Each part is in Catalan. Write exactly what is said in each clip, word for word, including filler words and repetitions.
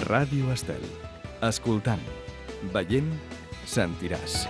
Ràdio Estel. Escoltant, veient, sentiràs.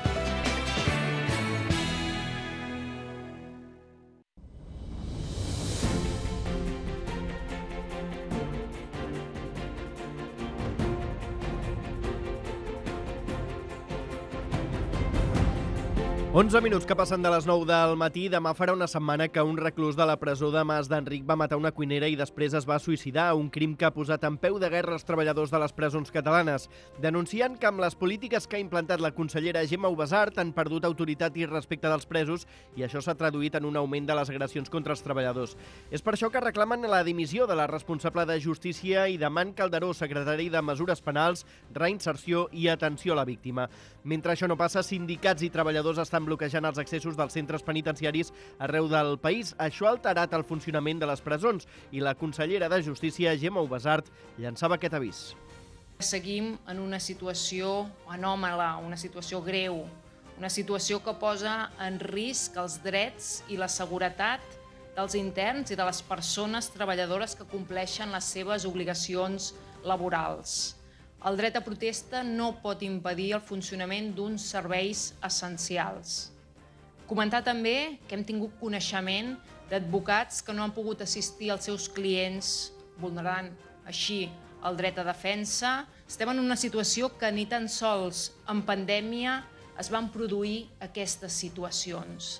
onze minuts que passen de les nou del matí. Demà farà una setmana que un reclús de la presó de Mas d'Enric va matar una cuinera i després es va suïcidar, un crim que ha posat en peu de guerra els treballadors de les presons catalanes, denunciant que amb les polítiques que ha implantat la consellera Gemma Ubasart han perdut autoritat i respecte dels presos i això s'ha traduït en un augment de les agressions contra els treballadors. És per això que reclamen la dimissió de la responsable de Justícia i de Man Calderó, secretari de Mesures Penals, Reinserció i Atenció a la Víctima. Mentre això no passa, sindicats i treballadors estan bloquejant els accessos dels centres penitenciaris arreu del país. Això ha alterat el funcionament de les presons i la consellera de Justícia, Gemma Ubasart, llançava aquest avís. Seguim en una situació anòmala, una situació greu, una situació que posa en risc els drets i la seguretat dels interns i de les persones treballadores que compleixen les seves obligacions laborals. El dret a protesta no pot impedir el funcionament d'uns serveis essencials. Comentar també que hem tingut coneixement d'advocats que no han pogut assistir als seus clients, vulnerant així el dret a defensa. Estem en una situació que ni tan sols en pandèmia es van produir aquestes situacions.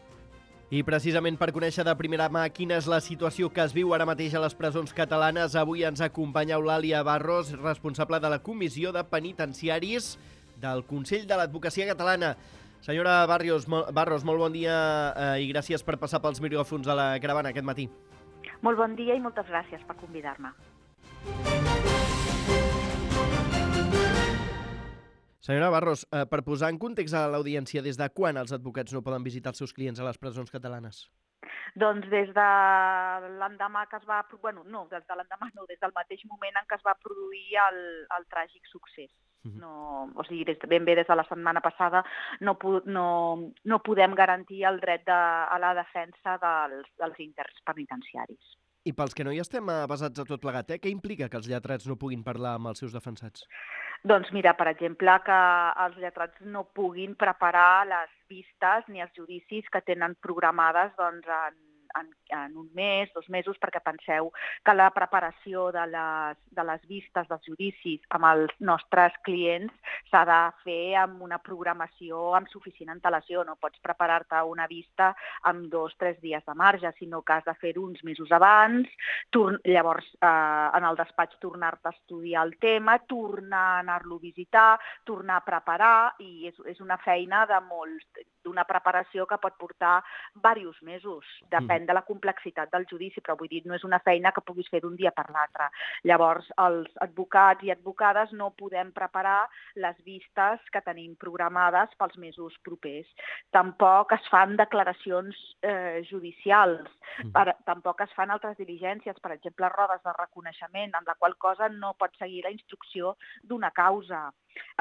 I precisament per conèixer de primera mà quina és la situació que es viu ara mateix a les presons catalanes, avui ens acompanya Eulàlia Barros, responsable de la Comissió de Penitenciaris del Consell de l'Advocacia Catalana. Senyora Barrios, Barros, molt bon dia eh, i gràcies per passar pels micròfons de la caravana aquest matí. Molt bon dia i moltes gràcies per convidar-me. Senyora Barros, eh, per posar en context a l'audiència, des de quan els advocats no poden visitar els seus clients a les presons catalanes? Doncs des de l'endemà que es va... Bueno, no, des de l'endemà no, des del mateix moment en què es va produir el, el tràgic succés. No, o sigui, des, ben bé des de la setmana passada no, no, no podem garantir el dret de, a la defensa dels, dels interns penitenciaris. I pels que no hi estem basats a tot plegat, eh? Què implica que els lletrats no puguin parlar amb els seus defensats? Doncs mira, per exemple, que els lletrats no puguin preparar les vistes ni els judicis que tenen programades doncs, en, en, en un mes, dos mesos, perquè penseu que la preparació de les, de les vistes dels judicis amb els nostres clients s'ha de fer amb una programació amb suficient antelació. No pots preparar-te una vista amb dos o tres dies de marge, sinó que has de fer-ho uns mesos abans, llavors eh, en el despatx tornar-te a estudiar el tema, tornar a anar-lo a visitar, tornar a preparar, i és, és una feina de molts, d'una preparació que pot portar diversos mesos, depèn de la complexitat del judici, però vull dir, no és una feina que puguis fer d'un dia per l'altre. Llavors, els advocats i advocades no podem preparar les vistes que tenim programades pels mesos propers. Tampoc es fan declaracions eh, judicials, per, tampoc es fan altres diligències, per exemple, rodes de reconeixement, en la qual cosa no pot seguir la instrucció d'una causa.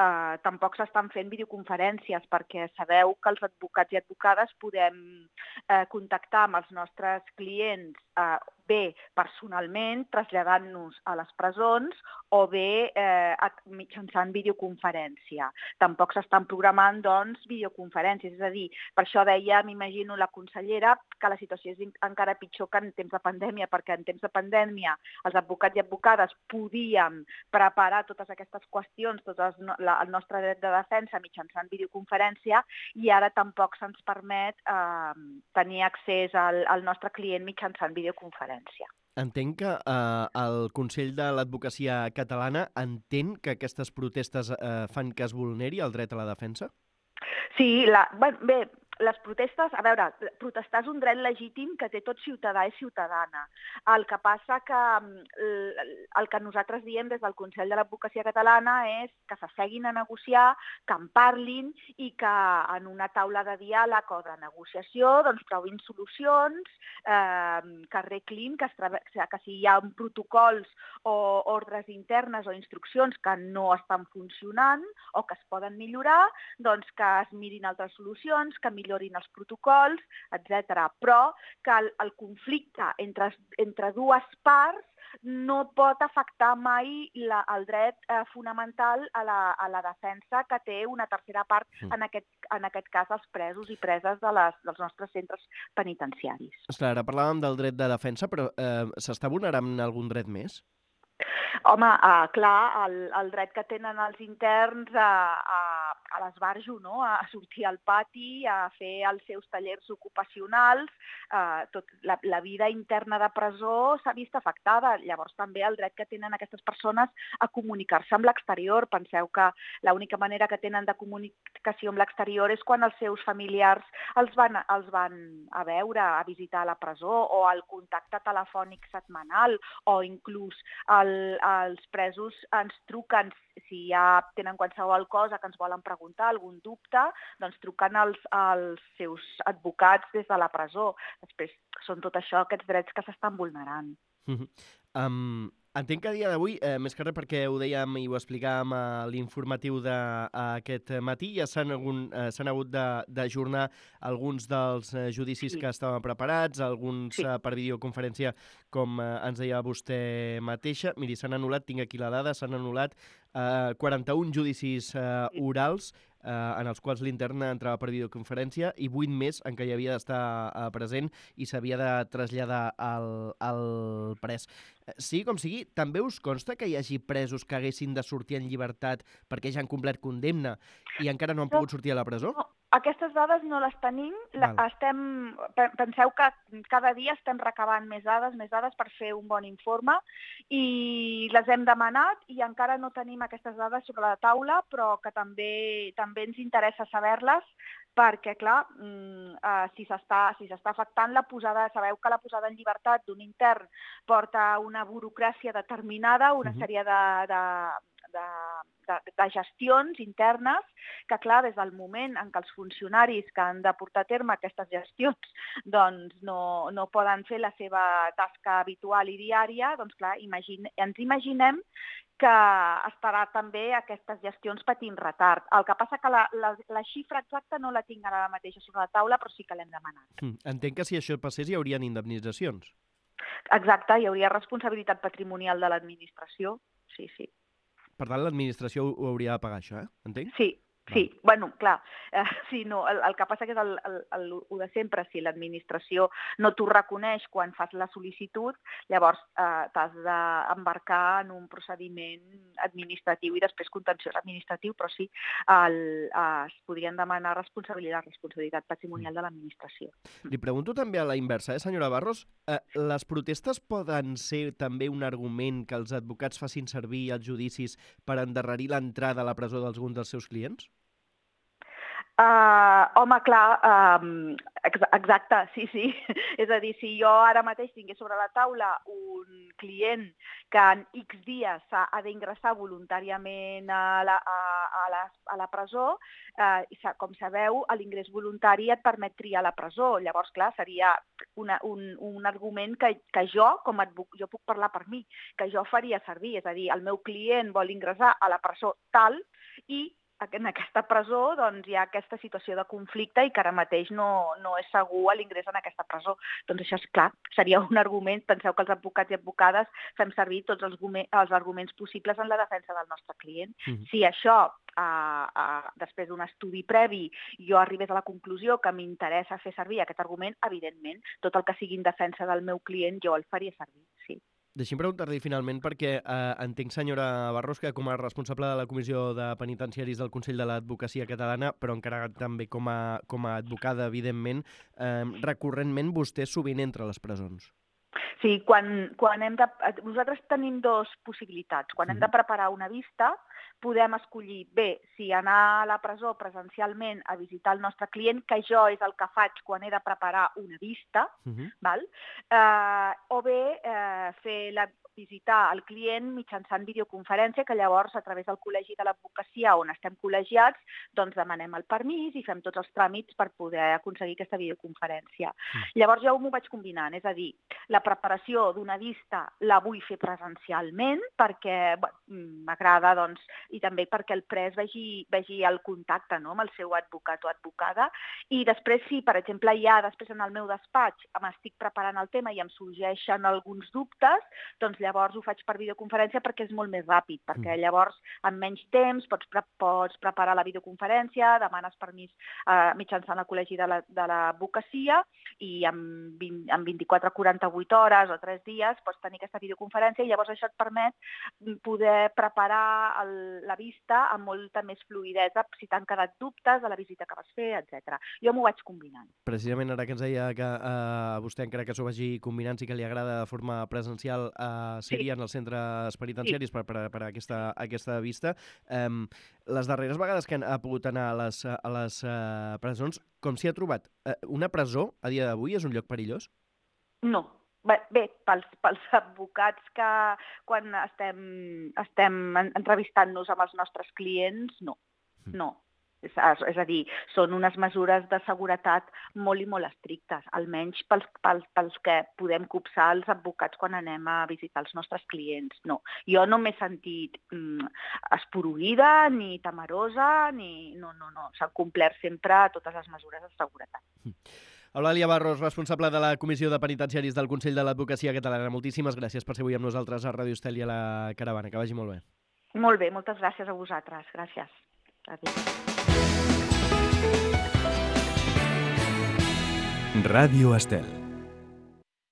Uh, tampoc s'estan fent videoconferències perquè sabeu que els advocats i advocades podem uh, contactar amb els nostres clients uh, bé personalment, traslladant-nos a les presons, o bé eh, mitjançant videoconferència. Tampoc s'estan programant, doncs, videoconferències. És a dir, per això deia, m'imagino, la consellera, que la situació és encara pitjor que en temps de pandèmia, perquè en temps de pandèmia els advocats i advocades podíem preparar totes aquestes qüestions, tot el, la, el nostre dret de defensa mitjançant videoconferència, i ara tampoc se'ns permet eh, tenir accés al, al nostre client mitjançant videoconferència. Entenc que eh, el Consell de l'Advocacia Catalana entén que aquestes protestes eh, fan que es vulneri el dret a la defensa? Sí, la, bé, les protestes, a veure, protestar és un dret legítim que té tot ciutadà i ciutadana. El que passa que el que nosaltres diem des del Consell de l'Advocacia Catalana és que s'asseguin a negociar, que en parlin i que en una taula de diàleg o de negociació doncs, trobin solucions, eh, que arreglin, que, es, que si hi ha protocols o ordres internes o instruccions que no estan funcionant o que es poden millorar, doncs que es mirin altres solucions, que millorin els protocols, etcètera. Però que el, el conflicte entre, entre dues parts no pot afectar mai la, el dret eh, fonamental a la, a la defensa que té una tercera part, mm. en, aquest, en aquest cas els presos i preses de les, dels nostres centres penitenciaris. Esclar, ara parlàvem del dret de defensa, però eh, s'està vulnerant algun dret més? Home, uh, clar, el, el dret que tenen els interns a, a, a l'esbarjo, no? A sortir al pati, a fer els seus tallers ocupacionals, uh, tot, la, la vida interna de presó s'ha vist afectada. Llavors també el dret que tenen aquestes persones a comunicar-se amb l'exterior. Penseu que l'única manera que tenen de comunicació amb l'exterior és quan els seus familiars els van, els van a veure, a visitar la presó, o el contacte telefònic setmanal, o inclús el els presos ens truquen si ja tenen qualsevol cosa que ens volen preguntar, algun dubte, doncs truquen als, als seus advocats des de la presó. Després són tot això, aquests drets que s'estan vulnerant. Uh-huh. Um, entenc que a dia d'avui, eh, més que res perquè ho dèiem i ho explicàvem a l'informatiu d'aquest matí, ja s'han eh, hagut d'ajornar alguns dels eh, judicis sí. que estaven preparats, alguns sí. eh, per videoconferència, com eh, ens deia vostè mateixa. Miri, s'han anul·lat, tinc aquí la dada, s'han anul·lat eh, quaranta-un judicis eh, orals, eh, en els quals l'intern entrava per videoconferència, i vuit més en què hi havia d'estar eh, present i s'havia de traslladar al, al pres. Sí, com sigui, també us consta que hi hagi presos que haguessin de sortir en llibertat perquè ja han complert condemna i encara no han pogut sortir a la presó? No, aquestes dades no les tenim. La, estem, penseu que cada dia estem recabant més dades, més dades per fer un bon informe, i les hem demanat i encara no tenim aquestes dades sobre la taula, però que també, també ens interessa saber-les, perquè, clar, si s'està si s'està afectant la posada, sabeu que la posada en llibertat d'un intern porta una burocràcia determinada, una uh-huh. sèrie de, de, de, de, de gestions internes, que, clar, des del moment en què els funcionaris que han de portar a terme aquestes gestions doncs no, no poden fer la seva tasca habitual i diària, doncs, clar, imagine, ens imaginem que estarà també aquestes gestions patint retard. El que passa que la, la, la xifra exacta no la tinc ara mateixa sobre la taula, però sí que l'hem demanat. Mm. Entenc que si això passés hi haurien indemnitzacions. Exacte, hi hauria responsabilitat patrimonial de l'administració, sí, sí. Per tant, l'administració ho hauria de pagar, això, eh? Entenc? Sí. Sí, bueno, clar, eh, sí, no, el, el que passa que és el, el, el, el de sempre, si l'administració no t'ho reconeix quan fas la sol·licitud, llavors eh, t'has d'embarcar en un procediment administratiu i després contenciós administratiu, però sí, el, eh, es podrien demanar responsabilitat, responsabilitat patrimonial de l'administració. Li pregunto també a la inversa, eh, senyora Barros, eh, les protestes poden ser també un argument que els advocats facin servir als judicis per endarrerir l'entrada a la presó d'alguns dels seus clients? Uh, home, clar, um, ex exacte, sí, sí. És a dir, si jo ara mateix tingués sobre la taula un client que en X dies ha d'ingressar voluntàriament a la, a, a la, a la presó, uh, com sabeu, l'ingrés voluntari et permet triar la presó. Llavors, clar, seria una, un, un argument que, que jo, com a advocat, jo puc parlar per mi, que jo faria servir. És a dir, el meu client vol ingressar a la presó tal i en aquesta presó doncs, hi ha aquesta situació de conflicte i que ara mateix no, no és segur l'ingrés en aquesta presó. Doncs això és clar, seria un argument. Penseu que els advocats i advocades fem servir tots els, els arguments possibles en la defensa del nostre client. Mm-hmm. Si això, uh, uh, després d'un estudi previ, jo arribés a la conclusió que m'interessa fer servir aquest argument, evidentment, tot el que sigui en defensa del meu client jo el faria servir, sí. Deixi'm preguntar-li finalment perquè eh, entenc, senyora Barros, que com a responsable de la Comissió de Penitenciaris del Consell de l'Advocacia Catalana, però encara també com a, com a advocada, evidentment, eh, recurrentment vostè sovint entra a les presons. Sí, quan, quan hem de... Nosaltres tenim dues possibilitats. Quan hem de preparar una vista, podem escollir bé si anar a la presó presencialment a visitar el nostre client, que jo és el que faig quan he de preparar una vista, uh-huh. val? Eh, o bé eh, fer la visitar el client mitjançant videoconferència, que llavors a través del Col·legi de l'Advocacia on estem col·legiats, doncs demanem el permís i fem tots els tràmits per poder aconseguir aquesta videoconferència. Mm. Llavors jo m'ho vaig combinant, és a dir, la preparació d'una vista la vull fer presencialment perquè m'agrada doncs, i també perquè el pres vegi, vegi el contacte, no?, amb el seu advocat o advocada. I després, si, per exemple, ja després en el meu despatx m'estic preparant el tema i em sorgeixen alguns dubtes, doncs llavors ho faig per videoconferència perquè és molt més ràpid, perquè llavors en menys temps pots, pre pots preparar la videoconferència, demanes permís eh, mitjançant el col·legi de l'advocacia i en, vint, en vint-i-quatre a quaranta-vuit hores o tres dies pots tenir aquesta videoconferència i llavors això et permet poder preparar el, la vista amb molta més fluïdesa si t'han quedat dubtes de la visita que vas fer, etcètera. Jo m'ho vaig combinant. Precisament ara que ens deia que eh, vostè, encara que s'ho vagi combinant, sí que li agrada de forma presencial eh, ser-hi sí. en els centres penitenciaris sí. per, per, per aquesta, aquesta vista. Eh, les darreres vegades que ha pogut anar a les, a les eh, presons, com s'hi ha trobat? Eh, una presó, a dia d'avui, és un lloc perillós? No. Bé, bé pels, pels advocats que quan estem, estem entrevistant-nos amb els nostres clients, no. No. És, és a dir, són unes mesures de seguretat molt i molt estrictes, almenys pels, pels, pels que podem copsar els advocats quan anem a visitar els nostres clients. No. Jo no m'he sentit mm, esporuïda, ni temerosa, ni... No, no, no. S'han complert sempre totes les mesures de seguretat. Eulàlia Barros, responsable de la Comissió de Penitenciaris del Consell de l'Advocacia Catalana. Moltíssimes gràcies per ser avui amb nosaltres a Ràdio Estel i a la Caravana. Que vagi molt bé. Molt bé, moltes gràcies a vosaltres. Gràcies. Adéu. Ràdio Estel.